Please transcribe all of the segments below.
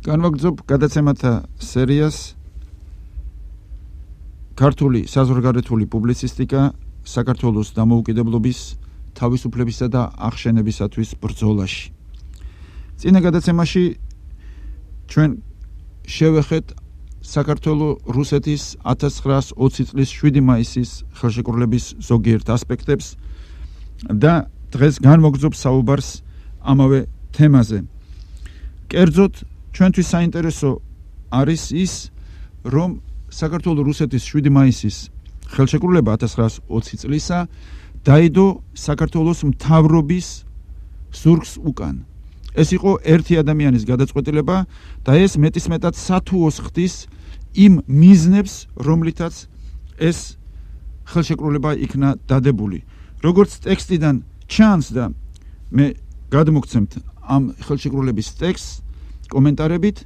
განვაგრძობ გადაცემათა სერიას ქართული საზღვარგარეთული პუბლიცისტიკა საქართველოს დამოუკიდებლობის, თავისუფლებისა და აღშენებისათვის ბრძოლაში. წინა გადაცემაში ჩვენ შევეხეთ საქართველოს რუსეთის 1920 წლის 7 მაისის ხელშეკრულების ზოგიერთ ასპექტებს და დღეს განვაგრძობ საუბარს ამავე თემაზე. კერძოდ ჩვენთვის საინტერესო არის ის, რომ საქართველოს რუსეთის 7 მაისის ხელშეკრულება 1920 წლისა დაიდო საქართველოს მთავრობის ზურგს უკან. ეს იყო ერთი ადამიანის გადაწყვეტილება და ეს მეტისმეტად სათუოს ხდის იმ მიზნებს, რომლითაც ეს ხელშეკრულება იქნა დადებული. როგორც ტექსტიდან ჩანს და მე გადმოგცემთ ამ ხელშეკრულების ტექსტს კომენტარებით,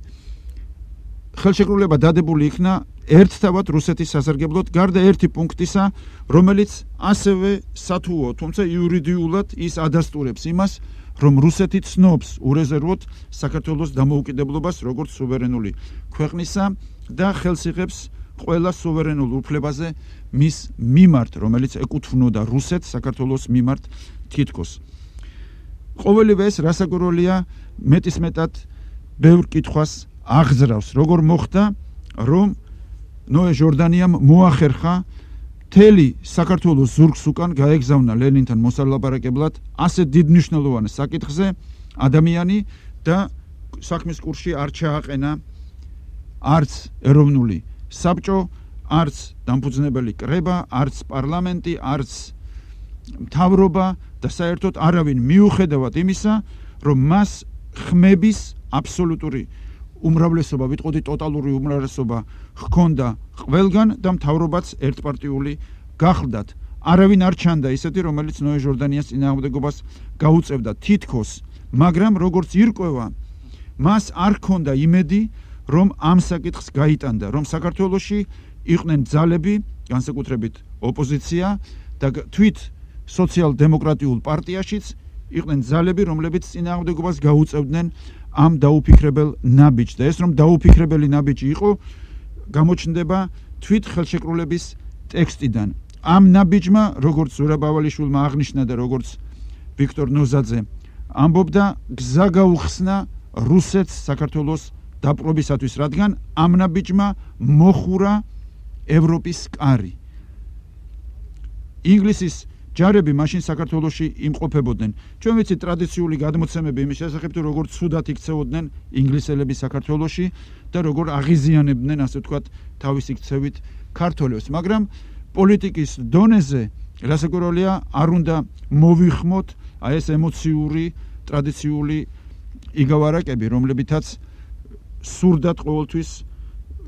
ხელშეკრულება დადებული იქნა ერთთავად რუსეთის სასარგებლოდ, გარდა ერთი პუნქტისა, რომელიც ასევე სათუო, თუმცა იურიდიულად ის ადასტურებს იმას, რომ რუსეთი ცნობს ურეზერვოდ საქართველოს დამოუკიდებლობას როგორც სუვერენული ქვეყნისა და ხელს იღებს ყველა სუვერენულ უფლებაზე მის მიმართ, რომელიც ეკუთვნოდა რუსეთს საქართველოს მიმართ თითქოს. ყოველივე ეს რასაკვირველია მეტისმეტად ბევრ კითხვას აღზრავს, როგორ მოხდა, რომ ნოე ჟორდანიამ მოახერხა მთელი საქართველოს ზურგს უკან გაეგზავნა ლენინთან მოსალაპარაკებლად ასე დიდმნიშვნელოვან საკითხზე ადამიანი და საქმის კურსში არ ჩააყენა არც ეროვნული საბჭო, არც დამფუძნებელი კრება, არც პარლამენტი, არც მთავრობა და საერთოდ არავინ მიუხედავად იმისა, რომ მას ხმების აბსოლუტური უმრავლესობა, ვიტყოდი ტოტალური უმრავლესობა ჰქონდა ყველგან და მთავრობაც ერთპარტიული გახლდათ. არავინ არ ჩანდა ისეთი, რომელიც ნოე ჟორდანიას წინააღმდეგობას გაუწევდა თითქოს, მაგრამ როგორც ირკვევა, მას არ ჰქონდა იმედი, რომ ამ საკითხს გაიტანდა, რომ საქართველოში იყვნენ ძალები, განსაკუთრებით ოპოზიცია და თვით სოციალ-დემოკრატიულ პარტიაშიც იყვნენ ძალები, რომლებიც წინააღმდეგობას გაუწევდნენ ამ დაუფიქრებელ ნაბიჯს და ეს რომ დაუფიქრებელი ნაბიჯი იყო, გამოჩნდება თვით ხელშეკრულების ტექსტიდან. ამ ნაბიჯმა, როგორც ზურაბ ავალიშვილმა აღნიშნა და როგორც ვიქტორ ნოზაძე ამბობდა, გზა გაუხსნა რუსეთს საქართველოს დაპყრობისათვის, რადგან ამ ნაბიჯმა მოხურა ევროპის კარი. ინგლისის ჯარები მაშინ საქართველოში იმყოფებოდნენ. ჩვენ ვიცით ტრადიციული გადმოცემები იმის შესახებ, თუ როგორ ცუდად იქცეოდნენ ინგლისელები საქართველოში და როგორ აღიზიანებდნენ, ასე ვთქვათ, თავისი ქცევით ქართველებს, მაგრამ პოლიტიკის დონეზე რასაკვირველია არ უნდა მოვიხმოთ აი ეს ემოციური, ტრადიციული იგავარაკები, რომლებითაც სურდათ ყოველთვის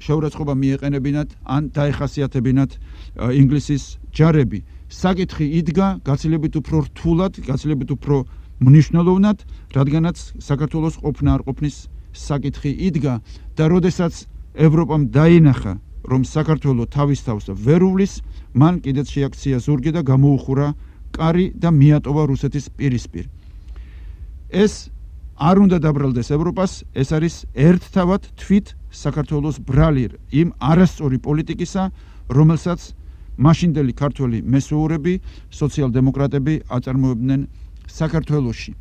შეურაცხყოფა მიეყენებინათ ან დაეხასიათებინათ ინგლისის ჯარები. საკითხი იდგა გაცილებით უფრო რთულად, გაცილებით უფრო მნიშვნელოვნად, რადგანაც საქართველოს ყოფნა არ ყოფნის საკითხი იდგა და როდესაც ევროპამ დაინახა, რომ საქართველო თავის თავს ვერ უვლის, მან კიდეც შეაქცია ზურგი და გამოუხურა კარი და მიატოვა რუსეთის პირისპირ. ეს არ უნდა დაბრალდეს ევროპას, ეს არის ერთთავად თვით საქართველოს ბრალი იმ არასწორი პოლიტიკისა, რომელსაც მაშინდელი ქართველი მესვეურები, სოციალ-დემოკრატები აწარმოებდნენ საქართველოში.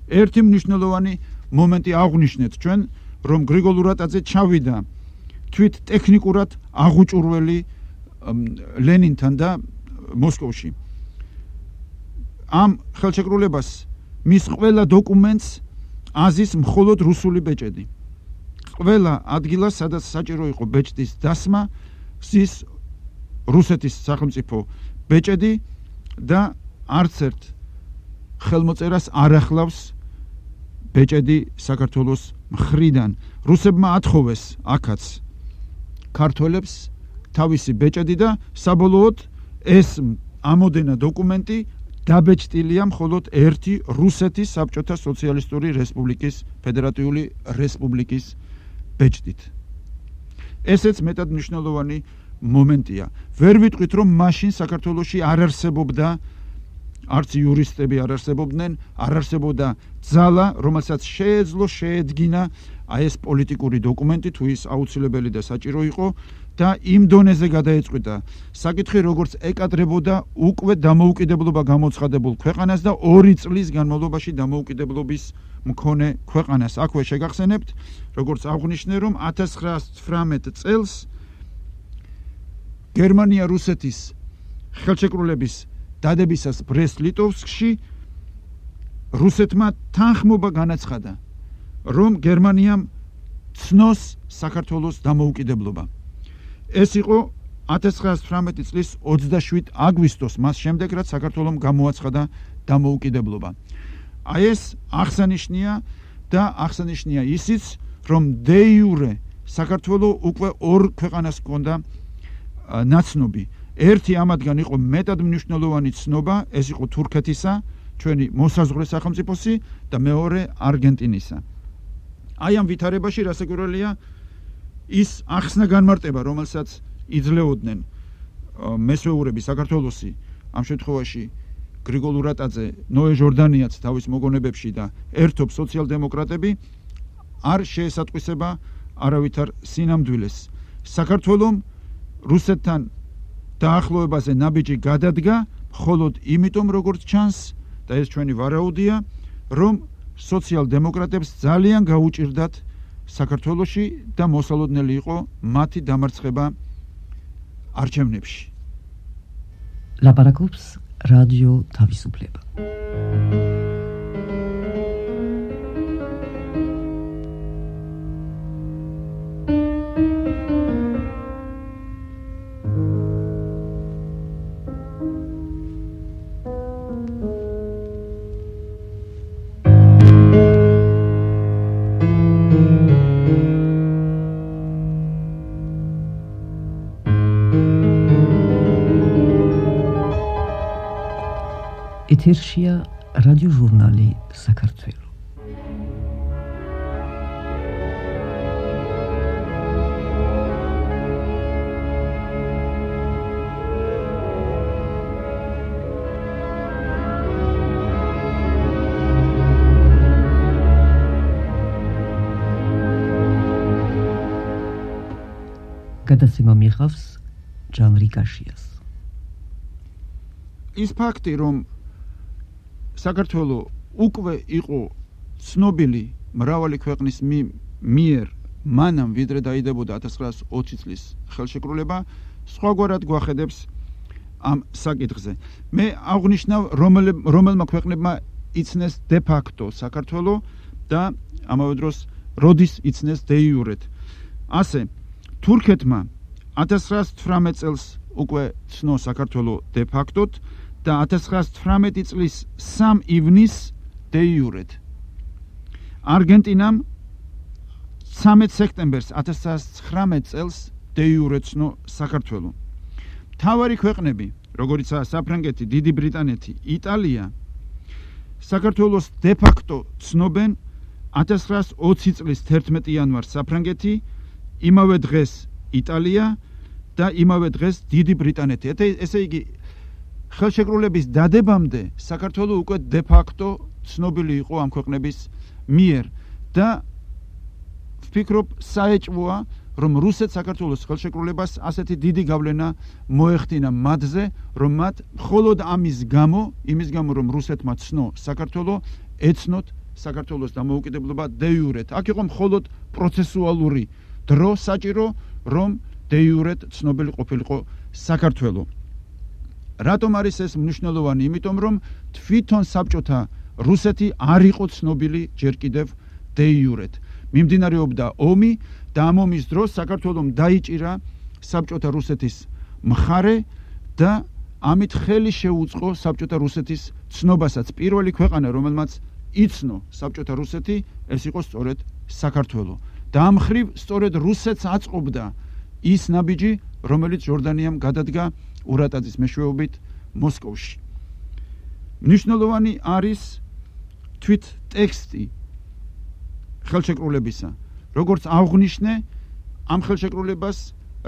ერთი მნიშვნელოვანი მომენტი აღვნიშნეთ ჩვენ, რომ გრიგოლ ურატაძე ჩავიდა თვით ტექნიკურად აღუჭურველი ლენინთან და მოსკოვში. ამ ხელშეკრულებას მის ყველა დოკუმენტს აზის მხოლოდ რუსული ბეჭედი. ყველა ადგილას, სადაც საჭირო იყო ბეჭდის დასმა, ზის რუსეთის სახელმწიფო ბეჭედი და არც ერთ ხელმოწერას არ ახლავს ბეჭედი საქართველოს მხრიდან. რუსებმა ათხოვეს აქაც ქართველებს თავისი ბეჭედი და საბოლოოდ ეს ამოდენა დოკუმენტი დაბეჭდილია მხოლოდ ერთი რუსეთის საბჭოთა სოციალისტური რესპუბლიკის, ფედერატიული რესპუბლიკის ბეჭდით. ესეც მეტად მნიშვნელოვანი მომენტია. ვერ ვიტყვით, რომ მაშინ საქართველოში არ არსებობდა არც იურისტები არ არსებობდნენ, არ არსებობდა ძალა, რომელსაც შეეძლო შეედგინა აი ეს პოლიტიკური დოკუმენტი თუ ის აუცილებელი და საჭირო იყო და იმ დონეზე გადაეწყვიტა საკითხი, როგორც ეკადრებოდა უკვე დამოუკიდებლობა გამოცხადებულ ქვეყანას და 2 წლის განმავლობაში დამოუკიდებლობის მქონე ქვეყანას. აქვე შეგახსენებთ, როგორც აღვნიშნე, რომ 1918 წელს გერმანია რუსეთის ხელშეკრულების დადებისას ბრესტ-ლიტოვსკში რუსეთმა თანხმობა განაცხადა, რომ გერმანიამ ცნოს საქართველოს დამოუკიდებლობა. ეს იყო 1918 წლის 27 აგვისტოს, მას შემდეგ, რაც საქართველომ გამოაცხადა დამოუკიდებლობა. აი ეს აღსანიშნია და აღსანიშნია ისიც, რომ de jure საქართველო უკვე 2 ქვეყანას ჰქონდა ნაცნობი. ერთი ამათგან იყო მეტად მნიშვნელოვანი ცნობა, ეს იყო თურქეთისა, ჩვენი მოსაზღვრე სახელმწიფოსი და მეორე არგენტინისა. აი ამ ვითარებაში რასაკვირველია ის ახსნა განმარტება, რომელსაც იძლეოდნენ მესვეურები საქართველოსი, ამ შემთხვევაში გრიგოლ ურატაძე, ნოე ჟორდანიაც თავის მოგონებებში და ერთობ სოციალ-დემოკრატები არ შეესატყვისება არავითარ სინამდვილეს. საქართველომ რუსეთთან დაახლოებაზე ნაბიჯი გადადგა, მხოლოდ იმიტომ, როგორც ჩანს, და ეს ჩვენი ვარაუდია, რომ სოციალ-დემოკრატებს ძალიან გაუჭირდათ საქართველოში და მოსალოდნელი იყო მათი დამარცხება არჩევნებში. ლაპარაკობს რადიო თავისუფლება. ეთერშია რადიო ჟურნალი საქართველო. გადაცემა მიიღავს ჯანრი კაშიას. ის ფაქტი, რომ საქართველო უკვე იყო ცნობილი მრავალი ქვეყნის მიერ მანამ ვიდრე დაიდებოდა 1920 წლის ხელშეკრულება, სხვაგვარად გვახედებს ამ საკითხზე. მე აღვნიშნავ, რომელმა ქვეყნებმა იცნეს de facto საქართველო და ამავე დროს როდის იცნეს de jure. ასე თურქეთმა 1918 წელს უკვე ცნო საქართველო de facto და 1918 წლის 3 ივნისს de jure. არგენტინამ 13 სექტემბერს 1919 წელს de jure ცნო საქართველო. მთავარი ქვეყნები, როგორიცაა საფრანგეთი, დიდი ბრიტანეთი, იტალია, საქართველოს de facto ცნობენ 1920 წლის 11 იანვარს საფრანგეთი, იმავე დღეს იტალია და იმავე დღეს დიდი ბრიტანეთი. ესე იგი ხელშეკრულების დადებამდე საქართველო უკვე de facto ცნობილი იყო ამ ქვეყნების მიერ და ვფიქრობ საეჭვოა, რომ რუსეთ საქართველოს ხელშეკრულებას ასეთი დიდი გავლენა მოეხდინა მათზე, რომ მათ მხოლოდ იმის გამო, რომ რუსეთმა ცნო საქართველო, ეცნოთ საქართველოს დამოუკიდებლობა de jure. აქ იყო მხოლოდ პროცესუალური დრო საჭირო, რომ de jure ცნობილი ყოფილიყო საქართველო. რატომ არის ეს მნიშვნელოვანი? იმიტომ, რომ თვითონ საბჭოთა რუსეთი არ იყო ცნობილი ჯერ კიდევ de jure. მიმდინარეობდა ომი და ამ ომის დროს საქართველომ დაიჭირა საბჭოთა რუსეთის მხარე და ამით ხელი შეუწყო საბჭოთა რუსეთის ცნობასაც. პირველი ქვეყანა, რომელმაც იცნო საბჭოთა რუსეთი, ეს იყო სწორედ საქართველო. და ამ ხრივ სწორედ რუსეთს აწყობდა ის ნაბიჯი, რომელიც ჟორდანიამ გადადგა ურატაძის მეშვეობით მოსკოვში. მნიშვნელოვანი არის თვით ტექსტი ხელშეკრულებისა. როგორც აღვნიშნე, ამ ხელშეკრულებას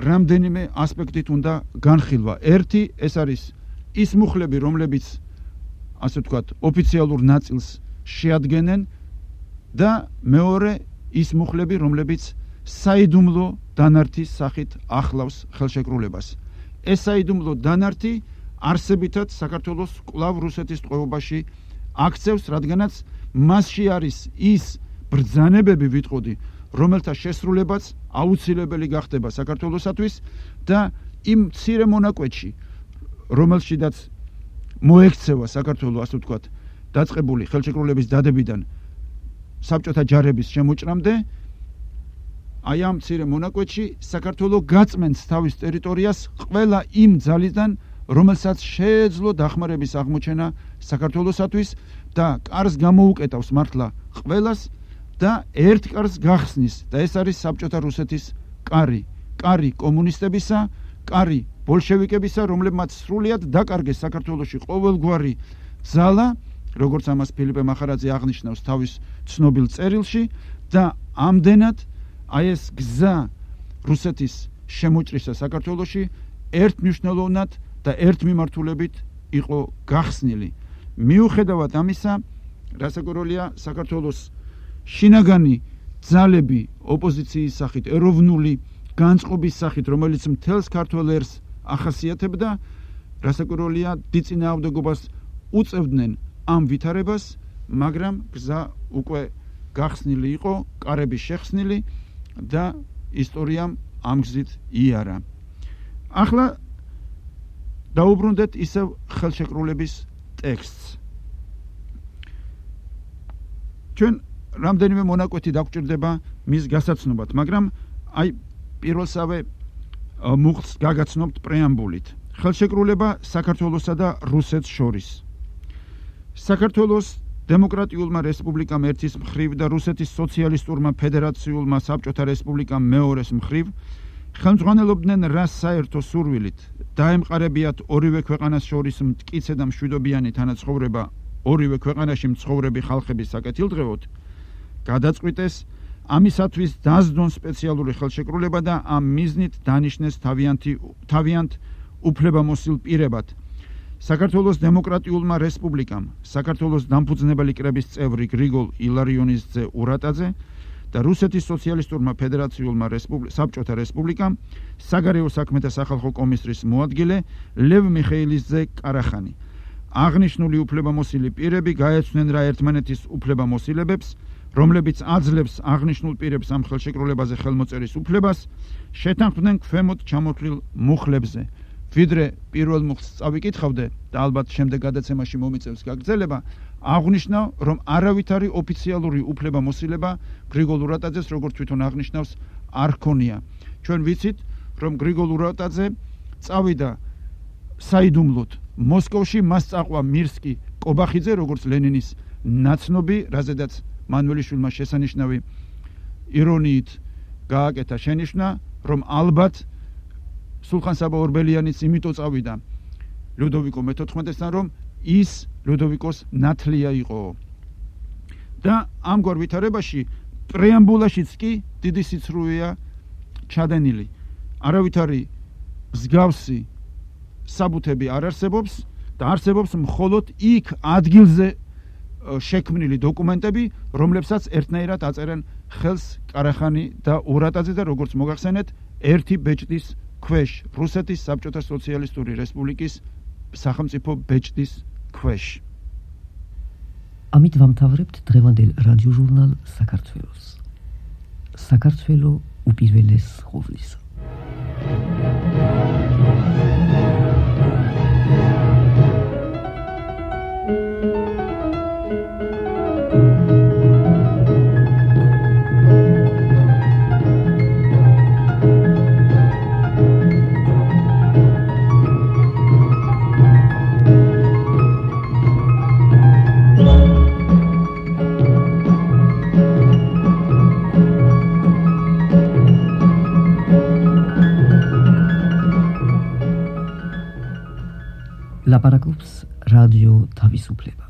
რამდენიმე ასპექტით უნდა განხილვა. ერთი, ეს არის ის მუხლები, რომლებიც ასე ვთქვათ, ოფიციალურ ნაწილს შეადგენენ და მეორე ის მუხლები, რომლებიც საიდუმლო დანართის სახით ახლავს ხელშეკრულებას. ეს საიდუმლო დანართი არსებითად საქართველოს კვლავ რუსეთის ტყვეობაში აქცევს, რადგანაც მასში არის ის ბრძანებები, ვიტყოდი, რომელთა შესრულებაც აუცილებელი გახდება საქართველოსათვის და იმ მცირე მონაკვეთში, რომელშიდაც მოექცევა საქართველოს, ასე ვთქვათ, დაწყებული ხელშეკრულების დადებიდან საბჭოთა ჯარების შემოჭრამდე, აი ამ მცირე მონაკვეთში საქართველოს გაწმენს თავის ტერიტორიას ყველა იმ ძალიდან, რომელსაც შეეძლო დახმარების აღმოჩენა საქართველოსათვის და კარს გამოუკეტავს მართლა ყველას და ერთ კარს გახსნის და ეს არის საბჭოთა რუსეთის კარი, კარი კომუნისტებისა, კარი ბოლშევიკებისა, რომლებმაც სრულიად დაკარგეს საქართველოში ყოველგვარი ძალა, როგორც ამას ფილიპე მახარაძე აღნიშნავს თავის ცნობილ წერილში და ამდენად აი ეს გზა რუსეთის შემოჭრისა საქართველოში ერთმნიშვნელოვნად და ერთ მიმართულებით იყო გახსნილი. მიუხედავად ამისა, რასაკვირველია, საქართველოს შინაგანი ძალები ოპოზიციის სახით, ეროვნული განწყობის სახით, რომელიც მთელს ქართველ ერს ახასიათებდა, რასაკვირველია, დიდ წინააღმდეგობას უწევდნენ ამ ვითარებას, მაგრამ გზა უკვე გახსნილი იყო, კარები შეხსნილი და ისტორიამ ამ გზით იარა. ახლა დაუბრუნდეთ ისევ ხელშეკრულების ტექსტს. ჩვენ რამდენიმე მონაკვეთი დაგვჭირდება მის გასაცნობად, მაგრამ აი პირველსავე მუხლს გაგაცნობთ პრეამბულით. ხელშეკრულება საქართველოსა და რუსეთს შორის. საქართველოს დემოკრატიულმა რესპუბლიკამ ერთის მხრივ და რუსეთის სოციალისტურმა ფედერაციულმა საბჭოთა რესპუბლიკამ მეორეს მხრივ ხელმძღვანელობდნენ რას საერთო სურვილით დაემყარებიათ ორივე ქვეყანას შორის მტკიცე და მშვიდობიანი თანაცხოვრება ორივე ქვეყანაში მცხოვრები ხალხების საკეთილდღეოდ, გადაწყვიტეს ამისათვის დასდონ სპეციალური ხელშეკრულება და ამ მიზნით დანიშნეს თავიანთ უფლებამოსილ პირებად საქართველოს დემოკრატიულმა რესპუბლიკამ, საქართველოს დამფუძნებელი კრების წევრი გრიგოლ ილარიონის ძე ურატაძე და რუსეთის სოციალისტურმა ფედერაციულმა საბჭოთა რესპუბლიკამ საგარეო საქმეთა სახალხო კომისრის მოადგილე ლევ მიხეილის ძე კარახანი. აღნიშნული უფლებამოსილი პირები გაეცვნენ რა ერთმანეთის უფლებამოსილებებს, რომლებიც აძლევს აღნიშნულ პირებს ამ ხელშეკრულებაზე ხელმოწერის უფლებას, შეთანხმდნენ ქვემოთ ჩამოთვლილ მუხლებზე. ვიდრე პირველ მუხლს წავიკითხავდე და ალბათ შემდეგ გადაცემაში მომიწევს გაგრძელება, აღნიშნავ, რომ არავითარი ოფიციალური უფლებამოსილება გრიგოლ ურატაძეს, როგორც თვითონ აღნიშნავს, არ ჰქონია. ჩვენ ვიცით, რომ გრიგოლ ურატაძე წავიდა საიდუმლოდ მოსკოვში, მას წაყვა მირსკი კობახიძე, როგორც ლენინის ნაცნობი, რაზედაც მანველიშვილმა შესანიშნავი ირონიით გააკეთა შენიშვნა, რომ ალბათ სულხან-საბა ორბელიანიც იმიტომ წავიდა ლუდოვიკო მე-14-დან, რომ ის ლუდოვიკოს ნათლია იყო. და ამგვარ ვითარებაში პრეამბულაშიც კი დიდი სიცრუეა ჩადენილი. არავითარი მსგავსი საბუთები არ არსებობს და არსებობს მხოლოდ იქ ადგილზე შექმნილი დოკუმენტები, რომლებსაც ერთნაირად აწერენ ხელს კარახანი და ურატაძე და როგორც მოგახსენეთ, ერთი ბეჭდის ქვეშ, რუსეთის საბჭოთა სოციალისტური რესპუბლიკის სახელმწიფო ბეჭდის ქვეშ. ამით ვამთავრებთ დღევანდელ რადიოჟურნალ საქართველოს. საქართველო უპირველეს ხოვლისა. ლაპარაკობს რადიო თავისუფლება.